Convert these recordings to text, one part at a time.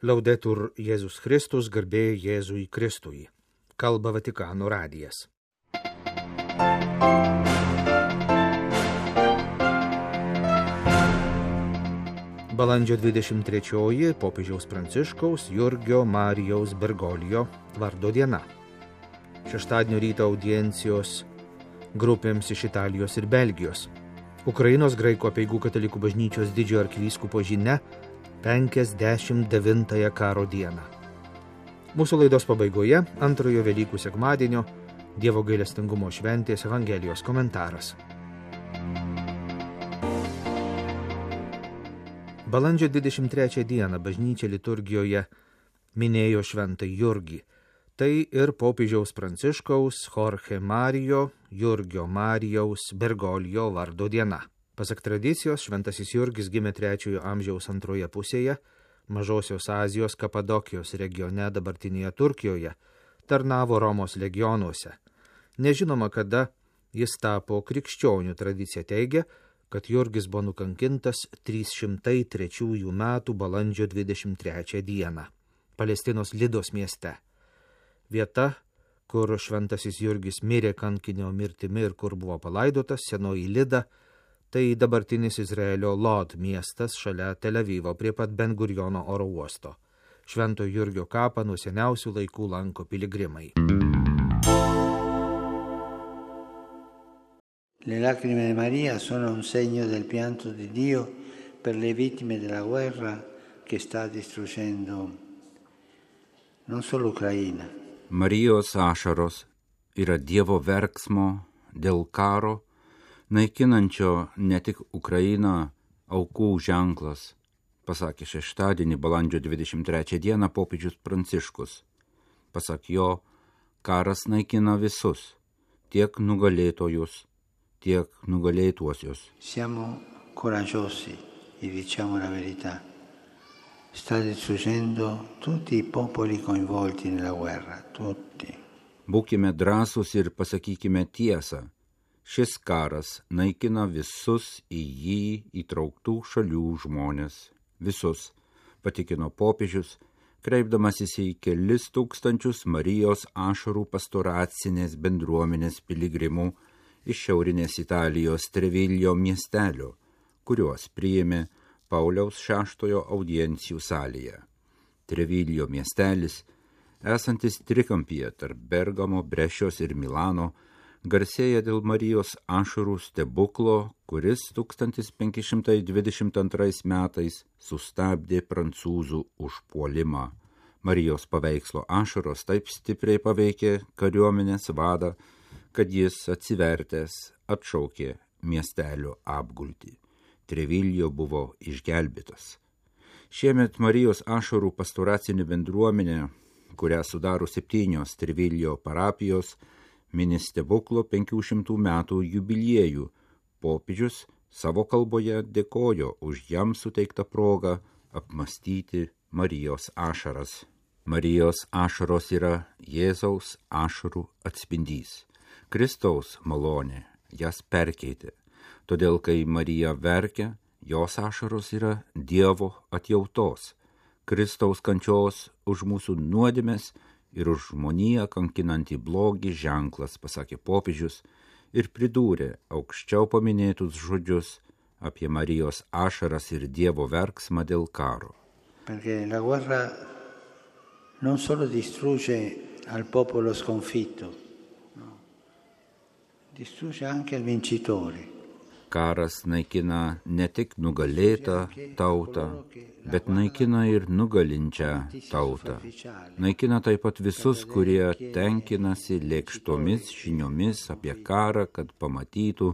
Laudetur Jėzus Kristus, garbė Jėzui Kristui. Kalba Vatikano radijas. Balandžio 23 popiežiaus Pranciškaus Jurgio Marijaus Bergoglio vardo diena. Šeštadienio ryto audiencijos grupėms iš Italijos ir Belgijos. Ukrainos graikų apeigų katalikų bažnyčios didžiojo arkivyskupo žinia 59 karo dieną. Mūsų laidos pabaigoje antrojo Velykų sekmadienio Dievo gailestingumo šventės Evangelijos komentaras. Balandžio 23 dieną bažnyčia liturgijoje minėjo šventąjį Jurgį. Tai ir popiežiaus Pranciškaus Jorge Mario Jurgio Marijaus Bergoglio vardo diena. Pasak tradicijos, šventasis Jurgis gimė 3 amžiaus antroje pusėje, Mažosios Azijos Kapadokijos regione dabartinėje Turkijoje, tarnavo Romos legionuose. Nežinoma, kada jis tapo krikščionių. Tradicija teigia, kad Jurgis buvo nukankintas 303 metų balandžio 23 dieną Palestinos Lidos mieste. Vieta, kur šventasis Jurgis mirė kankinio mirtimi ir kur buvo palaidotas, senoji Lida, tai dabartinis Izraelio Lod miestas šalia Tel Avivo prie pat Ben Guriono oro uosto. Švento Jurgio kapą nuo seniausių laikų lanko piligrimai. Le lacrime di Maria sono un segno del pianto di Dio per le vittime della guerra che sta distruggendo non solo Ucraina. Marijos ašaros yra Dievo verksmo dėl karo, naikinančio ne tik Ukrainą aukų ženklas, pasakė šeštadienį balandžio 23 dieną popiežius Pranciškus. Pasak jo, karas naikina visus, tiek nugalėtojus, tiek nugalėtuosius. Siamo coraggiosi e diciamo la verità. Sta distruggendo tutti i popoli coinvolti nella guerra, tutti. Būkime drąsūs ir pasakykime tiesą. Šis karas naikina visus į jį įtrauktų šalių žmonės. Visus, patikino popiežius, kreipdamasis į kelis tūkstančius Marijos ašarų pastoracinės bendruomenės piligrimų iš šiaurinės Italijos Treviglio miestelio, kuriuos priėmė Pauliaus VI audiencijų salėje. Treviglio miestelis, esantis trikampyje tarp Bergamo, Brešios ir Milano, garsėja dėl Marijos ašarų stebuklo, kuris 1522 metais sustabdė prancūzų užpuolimą. Marijos paveikslo ašaros taip stipriai paveikė kariuomenės vadą, kad jis atsivertęs atšaukė miestelio apgultį. Treviglio buvo išgelbėtas. Šiemet Marijos ašarų pastoracinė bendruomenė, kurią sudaro 7 Treviglio parapijos, mini stebuklo 500 metų jubiliejų. Popiežius savo kalboje dėkojo už jam suteiktą progą apmąstyti Marijos ašaras. Marijos ašaros yra Jėzaus ašarų atspindys. Kristaus malonė jas perkeitė. Todėl, kai Marija verkia, jos ašaros yra Dievo atjautos, Kristaus kančios už mūsų nuodėmes ir už žmoniją kankinantį blogį ženklas, pasakė popiežius ir pridūrė aukščiau paminėtus žodžius apie Marijos ašaras ir Dievo verksmą dėl karo. Perché la guerra non solo distrugge al popolo sconfitto, no. Distrugge anche il vincitore. Karas naikina ne tik nugalėtą tautą, bet naikina ir nugalinčią tautą. Naikina taip pat visus, kurie tenkinasi lėkštomis žiniomis apie karą, kad pamatytų,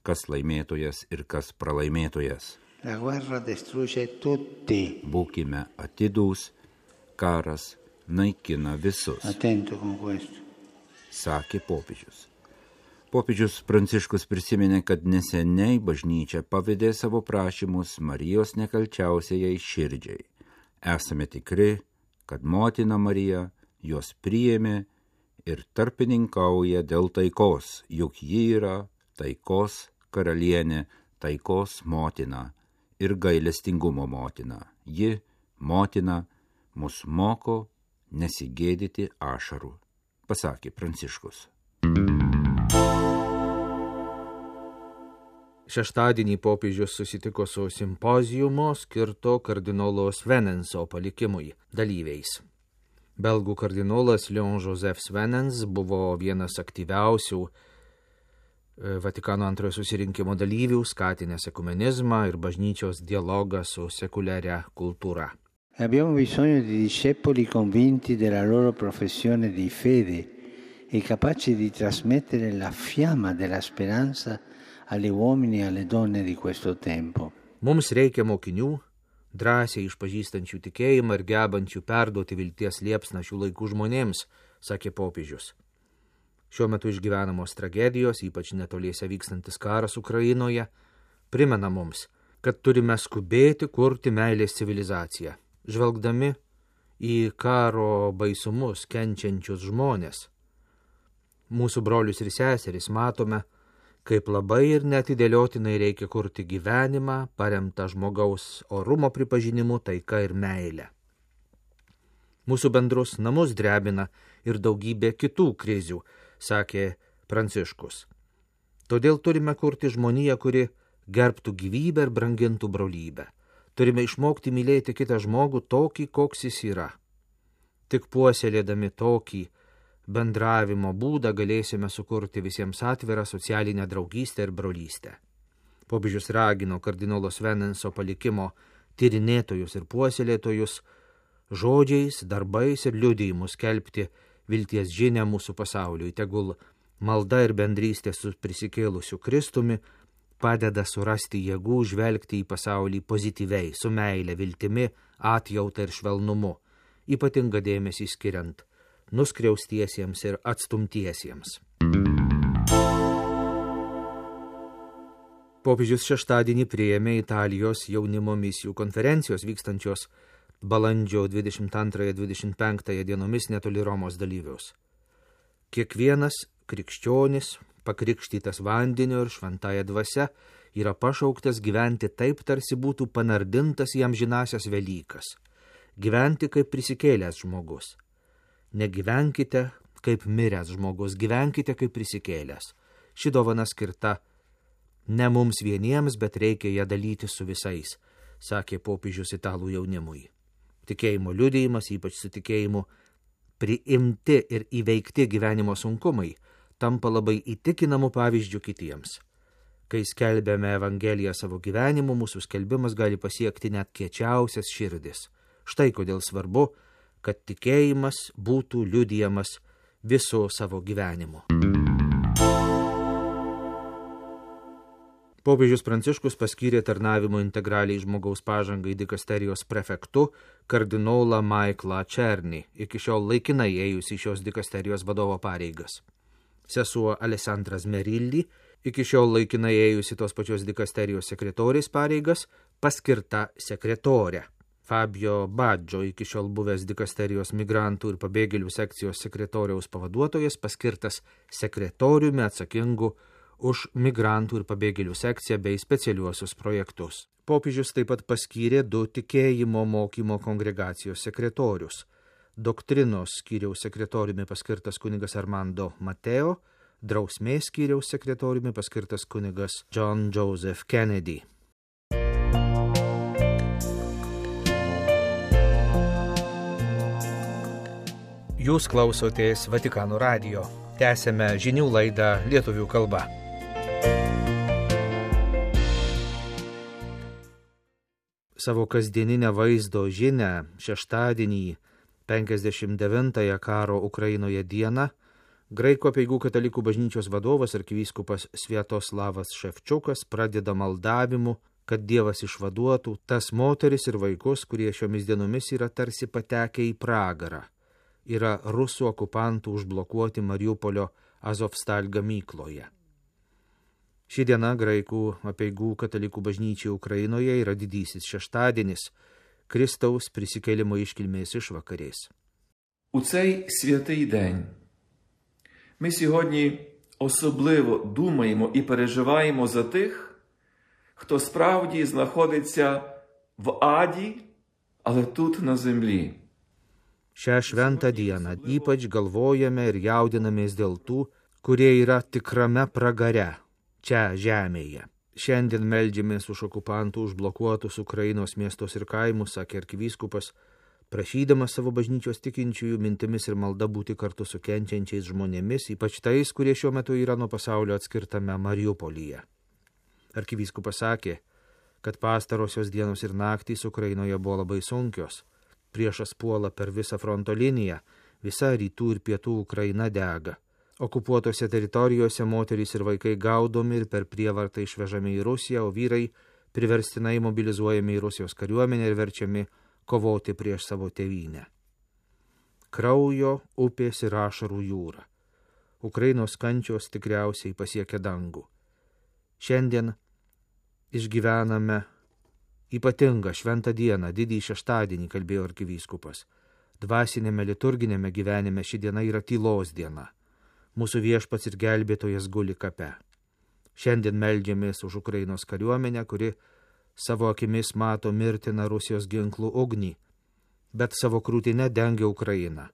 kas laimėtojas ir kas pralaimėtojas. La guerra distrugge tutti. Būkime atidūs, karas naikina visus. Attento con questo. Sakė popiežius. Popiežius Pranciškus prisiminė, kad neseniai bažnyčia pavedė savo prašymus Marijos nekalčiausiai širdžiai. Esame tikri, kad motina Marija juos priėmė ir tarpininkauja dėl taikos, juk ji yra taikos karalienė, taikos motina ir gailestingumo motina. Ji, motina, mus moko nesigėdyti ašarų, pasakė Pranciškus. Šeštadienį popiežius susitiko su simpoziumo skirto kardinolo Svenenso palikimui dalyviais. Belgų kardinolas Léon-Joseph Svenens buvo vienas aktyviausių Vatikano antrojo susirinkimo dalyvių, skatinęs ekumenizmą ir bažnyčios dialogą su sekuliaria kultūra. Abbiamo bisogno di discepoli convinti della loro professione di fede e capaci di trasmettere la fiamma della speranza agli uomini e alle donne di questo tempo. Mums reikia mokinių, drąsiai išpažįstančių tikėjimą ir gebančių perduoti vilties liepsną šių laikų žmonėms, sakė popiežius. Šiuo metu išgyvenamos tragedijos, ypač netoliese vykstantis karas Ukrainoje, primena mums, kad turime skubėti kurti meilės civilizaciją, žvelgdami į karo baisumus kenčiančius žmonės. Mūsų brolius ir seseris matome, kaip labai ir neatidėliotinai reikia kurti gyvenimą, paremtą žmogaus orumo pripažinimu, taika ir meilė. Mūsų bendrus namus drebina ir daugybė kitų krizių, sakė Pranciškus. Todėl turime kurti žmoniją, kuri gerbtų gyvybę ir brangintų brolybę. Turime išmokti mylėti kitą žmogų tokį, koks jis yra. Tik puoselėdami tokį bendravimo būdą galėsime sukurti visiems atvirą socialinę draugystę ir brolystę. Popiežius ragino kardinolo Svenenso palikimo tyrinėtojus ir puoselėtojus žodžiais, darbais ir liudijimus skelbti vilties žinią mūsų pasauliui. Tegul malda ir bendrystė su prisikėlusiu Kristumi padeda surasti jėgų žvelgti į pasaulį pozityviai, su meile, viltimi, atjauta ir švelnumu, ypatingą dėmesį skiriant nuskriaustiesiems ir atstumtiesiems. Popiežius šeštadienį priėmė Italijos jaunimo misijų konferencijos vykstančios balandžio 22-25 dienomis netoli Romos dalyvius. Kiekvienas krikščionis, pakrikštytas vandeniu ir šventąja dvasia, yra pašauktas gyventi taip, tarsi būtų panardintas jam žinasias Velykas, gyventi kaip prisikėlęs žmogus. Negyvenkite kaip miręs žmogus, gyvenkite kaip prisikėlęs. Ši dovana skirta ne mums vieniems, bet reikia ją dalyti su visais, sakė popiežius italų jaunimui. Tikėjimo liudijimas, ypač su tikėjimu priimti ir įveikti gyvenimo sunkumai, tampa labai įtikinamu pavyzdžiu kitiems. Kai skelbėme Evangeliją savo gyvenimu, mūsų skelbimas gali pasiekti net kiečiausias širdis. Štai kodėl svarbu, kad tikėjimas būtų liudijamas viso savo gyvenimu. Popiežius Pranciškus paskyrė tarnavimo integraliai žmogaus pažangai dikasterijos prefektu kardinolą Maiklą Černį, iki šiol laikinai ėjusi šios dikasterijos vadovo pareigas. Sesuo Alessandra Zmerilli, iki šiol laikinai ėjusi tos pačios dikasterijos sekretorės pareigas, paskirta sekretorė. Fabio Baggio, iki šiol buvęs dikasterijos migrantų ir pabėgėlių sekcijos sekretoriaus pavaduotojas, paskirtas sekretoriumi atsakingu už migrantų ir pabėgėlių sekciją bei specialiuosius projektus. Popiežius taip pat paskyrė 2 tikėjimo mokymo kongregacijos sekretorius. Doktrinos skyriaus sekretoriumi paskirtas kunigas Armando Mateo, drausmės skyriaus sekretoriumi paskirtas kunigas John Joseph Kennedy. Jūs klausotės Vatikano radijo. Tęsėme žinių laidą lietuvių kalba. Savo kasdieninę vaizdo žinią šeštadienį 59-ąją karo Ukrainoje dieną Graikų apeigų katalikų bažnyčios vadovas arkivyskupas Sviatoslavas Ševčiukas pradeda maldavimu, kad Dievas išvaduotų tas moteris ir vaikus, kurie šiomis dienomis yra tarsi patekę į pragarą. Yra rusų okupantų užblokuoti Mariupolio Azovstal gamykloje. Ši diena Graikų apeigų katalikų bažnyčiai Ukrainoje yra didysis šeštadienis, Kristaus prisikėlimo išкільмės išvakarės. У цей святий день ми сьогодні особливо думаємо і переживаємо за тих, хто справді знаходиться в аді, але тут на землі. Šią šventą dieną ypač galvojame ir jaudinamės dėl tų, kurie yra tikrame pragare, čia žemėje. Šiandien meldžiamės už okupantų užblokuotus Ukrainos miestus ir kaimus, sakė arkivyskupas, prašydamas savo bažnyčios tikinčiųjų mintimis ir malda būti kartu su kenčiančiais žmonėmis, ypač tais, kurie šiuo metu yra nuo pasaulio atskirtame Mariupolyje. Arkivyskupas sakė, kad pastarosios dienos ir naktys Ukrainoje buvo labai sunkios. Priešas puola per visą fronto liniją, visa rytų ir pietų Ukraina dega. Okupuotose teritorijose moterys ir vaikai gaudomi ir per prievartą išvežami į Rusiją, o vyrai priverstinai mobilizuojami į Rusijos kariuomenę ir verčiami kovoti prieš savo tėvynę. Kraujo, upės ir ašarų jūra. Ukrainos kančios tikriausiai pasiekia dangų. Šiandien išgyvename ypatingą šventą dieną, didįjį šeštadienį, kalbėjo arkivyskupas. Dvasinėme liturginėme gyvenime ši diena yra tylos diena. Mūsų viešpats ir gelbėtojas guli kape. Šiandien meldžiamės už Ukrainos kariuomenę, kuri savo akimis mato mirtiną Rusijos ginklų ugnį, bet savo krūtinę dengia Ukrainą.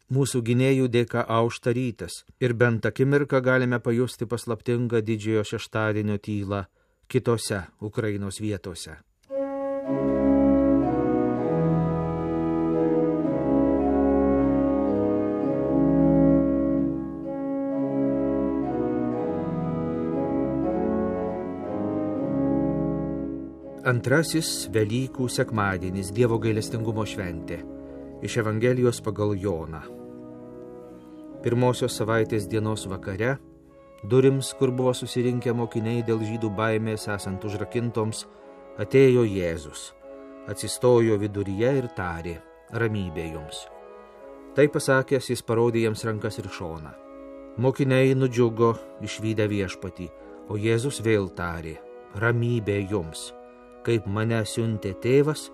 Mūsų gynėjų dėka aušta rytas ir bent akimirką galime pajusti paslaptingą didžiojo šeštadienio tylą kitose Ukrainos vietose. Antrasis Velykų sekmadienis, Dievo gailestingumo šventė, iš Evangelijos pagal Joną. Pirmosios savaitės dienos vakare, durims, kur buvo susirinkę mokiniai dėl žydų baimės esant užrakintoms, atėjo Jėzus, atsistojo viduryje ir tarė, ramybė jums. Tai pasakęs, jis parodė jiems rankas ir šoną. Mokiniai nudžiugo išvydę viešpatį, o Jėzus vėl tarė, ramybė jums. Kaip mane siuntė tėvas,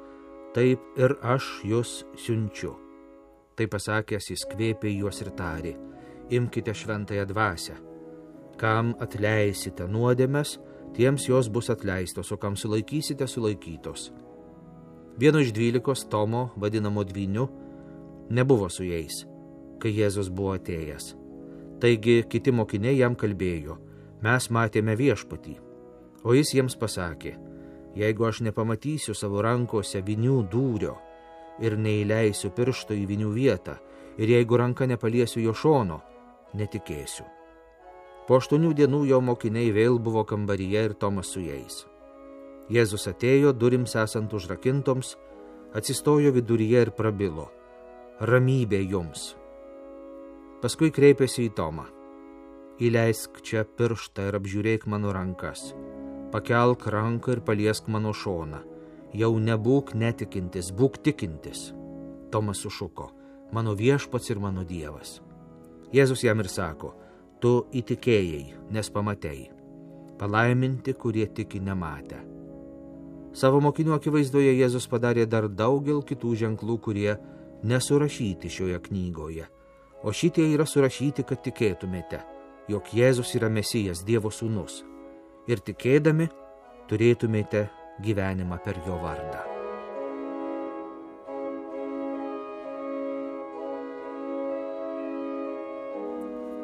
taip ir aš jūs siunčiu. Tai pasakęs, jis kvėpė juos ir tarė, imkite šventąją dvasią. Kam atleisite nuodėmes, tiems jos bus atleistos, o kam sulaikysite, sulaikytos. Vieno iš 12, Tomo, vadinamo Dvyniu, nebuvo su jais, kai Jėzus buvo atėjęs. Taigi kiti mokiniai jam kalbėjo, mes matėme viešpatį, o jis jiems pasakė, jeigu aš nepamatysiu savo rankose vinių dūrio ir neįleisiu piršto į vinių vietą, ir jeigu ranka nepaliesiu jo šono, netikėsiu. Po 8 dienų jo mokiniai vėl buvo kambaryje ir Tomas su jais. Jėzus atėjo, durims esant užrakintoms, atsistojo viduryje ir prabilo, ramybė jums. Paskui kreipėsi į Tomą, įleisk čia pirštą ir apžiūrėk mano rankas. Pakelk ranką ir paliesk mano šoną. Jau nebūk netikintis, būk tikintis. Tomas sušuko, mano viešpats ir mano Dievas. Jėzus jam ir sako, tu įtikėjai, nes pamatei. Palaiminti, kurie tiki nematę. Savo mokinių akivaizdoje Jėzus padarė dar daugel kitų ženklų, kurie nesurašyti šioje knygoje. O šitie yra surašyti, kad tikėtumėte, jog Jėzus yra Mesijas, Dievo sūnus. Ir tikėdami turėtumėte gyvenimą per jo vardą.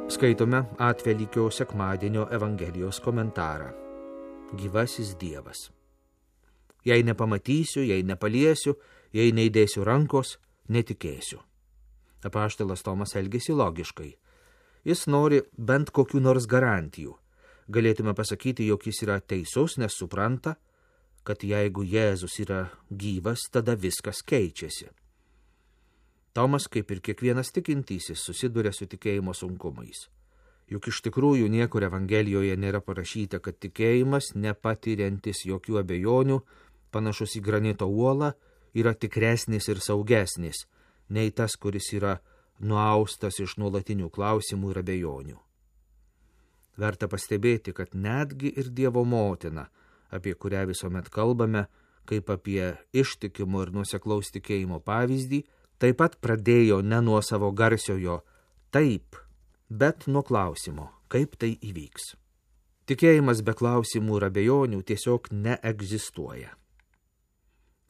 Skaitome Atvelykio sekmadienio Evangelijos komentarą. Gyvasis Dievas. Jei nepamatysiu, jei nepaliesiu, jei neįdėsiu rankos, netikėsiu. Apaštalas Tomas elgėsi logiškai. Jis nori bent kokių nors garantijų. Galėtume pasakyti, jog jis yra teisus, nes supranta, kad jeigu Jėzus yra gyvas, tada viskas keičiasi. Tomas, kaip ir kiekvienas tikintysis, susiduria su tikėjimo sunkumais. Juk iš tikrųjų niekur Evangelijoje nėra parašyta, kad tikėjimas, nepatiriantis jokių abejonių, panašus į granito uolą, yra tikresnis ir saugesnis, nei tas, kuris yra nuaustas iš nuolatinių klausimų ir abejonių. Verta pastebėti, kad netgi ir Dievo motina, apie kurią visuomet kalbame, kaip apie ištikimo ir nuoseklaus tikėjimo pavyzdį, taip pat pradėjo ne nuo savo garsiojo taip, bet nuo klausimo, kaip tai įvyks. Tikėjimas be klausimų ir abejonių tiesiog neegzistuoja.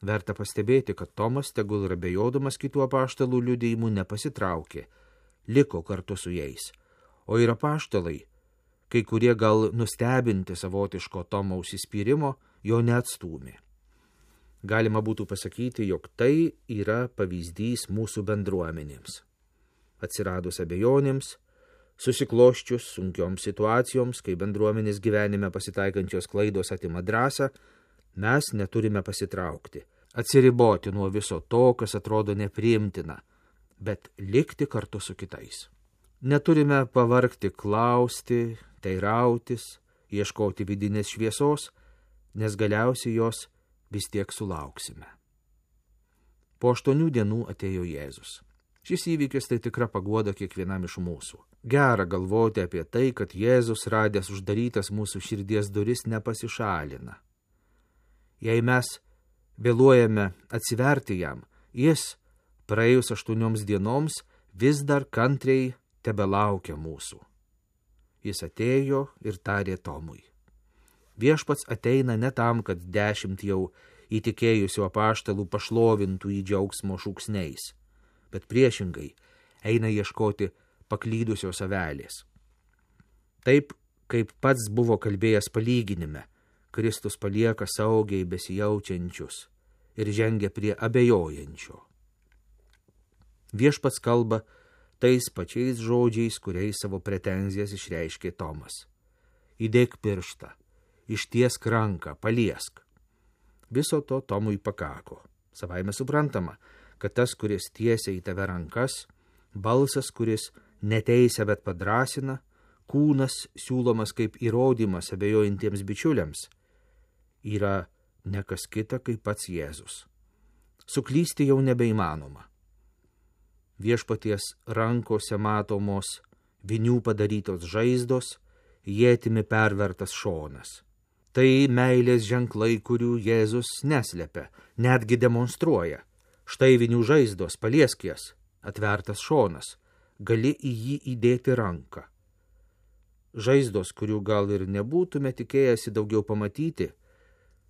Verta pastebėti, kad Tomas, tegul ir abejodamas kitų apaštalų liudijimų, nepasitraukė, liko kartu su jais. O ir apaštalai, kai kurie gal nustebinti savotiško Tomo užsispyrimo, jo neatstūmė. Galima būtų pasakyti, jog tai yra pavyzdys mūsų bendruomenėms. Atsiradus abejonėms, susikloščius sunkioms situacijoms, kai bendruomenės gyvenime pasitaikančios klaidos atima drąsą, mes neturime pasitraukti, atsiriboti nuo viso to, kas atrodo nepriimtina, bet likti kartu su kitais. Neturime pavargti klausti, teirautis, ieškoti vidinės šviesos, nes galiausiai jos vis tiek sulauksime. Po 8 dienų atėjo Jėzus. Šis įvykis tai tikra paguoda kiekvienam iš mūsų. Gera galvoti apie tai, kad Jėzus, radęs uždarytas mūsų širdies duris, nepasišalina. Jei mes vėluojame atsiverti jam, jis, praėjus 8 dienoms, vis dar kantriai tebelaukia mūsų. Jis atėjo ir tarė Tomui. Viešpats ateina ne tam, kad 10 jau įtikėjusių apaštalų pašlovintų į džiaugsmo šūksniais, bet priešingai eina ieškoti paklydusios avelės. Taip, kaip pats buvo kalbėjęs palyginime, Kristus palieka saugiai besijaučiančius ir žengia prie abejojančio. Viešpats kalba tais pačiais žodžiais, kuriais savo pretenzijas išreiškė Tomas. Įdėk pirštą, ištiesk ranką, paliesk. Viso to Tomui pakako. Savaime suprantama, kad tas, kuris tiesia į tave rankas, balsas, kuris neteisia, bet padrasina, kūnas siūlomas kaip įrodymas abejojantiems bičiuliams, yra ne kas kita kaip pats Jėzus. Suklysti jau nebeįmanoma. Viešpaties rankose matomos vinių padarytos žaizdos, ietimi pervertas šonas. Tai meilės ženklai, kurių Jėzus neslepia, netgi demonstruoja. Štai vinių žaizdos, paliesk jas, atvertas šonas, gali į jį įdėti ranką. Žaizdos, kurių gal ir nebūtume tikėjęsi daugiau pamatyti,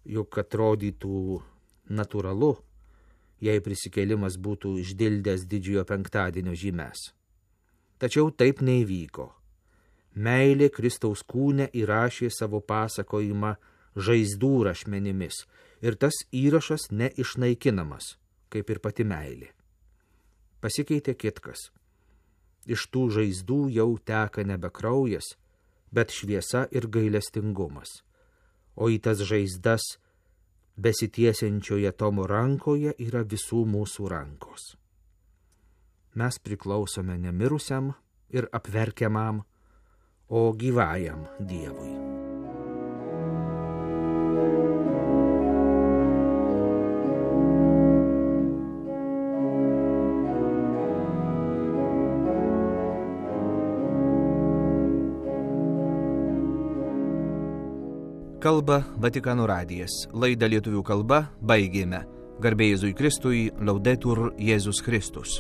juk atrodytų natūralu, jei prisikėlimas būtų išdildęs didžiojo penktadienio žymes. Tačiau taip neįvyko. Meilė Kristaus kūne įrašė savo pasakojimą žaizdų rašmenimis ir tas įrašas neišnaikinamas, kaip ir pati meilė. Pasikeitė kitkas. Iš tų žaizdų jau teka nebe kraujas, bet šviesa ir gailestingumas. O į tas žaizdas besitiesiančioje Tomo rankoje yra visų mūsų rankos. Mes priklausome ne mirusiam ir apverkiamam, o gyvajam Dievui. Kalba Vatikano radijas. Laidą lietuvių kalba baigėme. Garbė Jėzui Kristui, Laudetur Jėzus Kristus.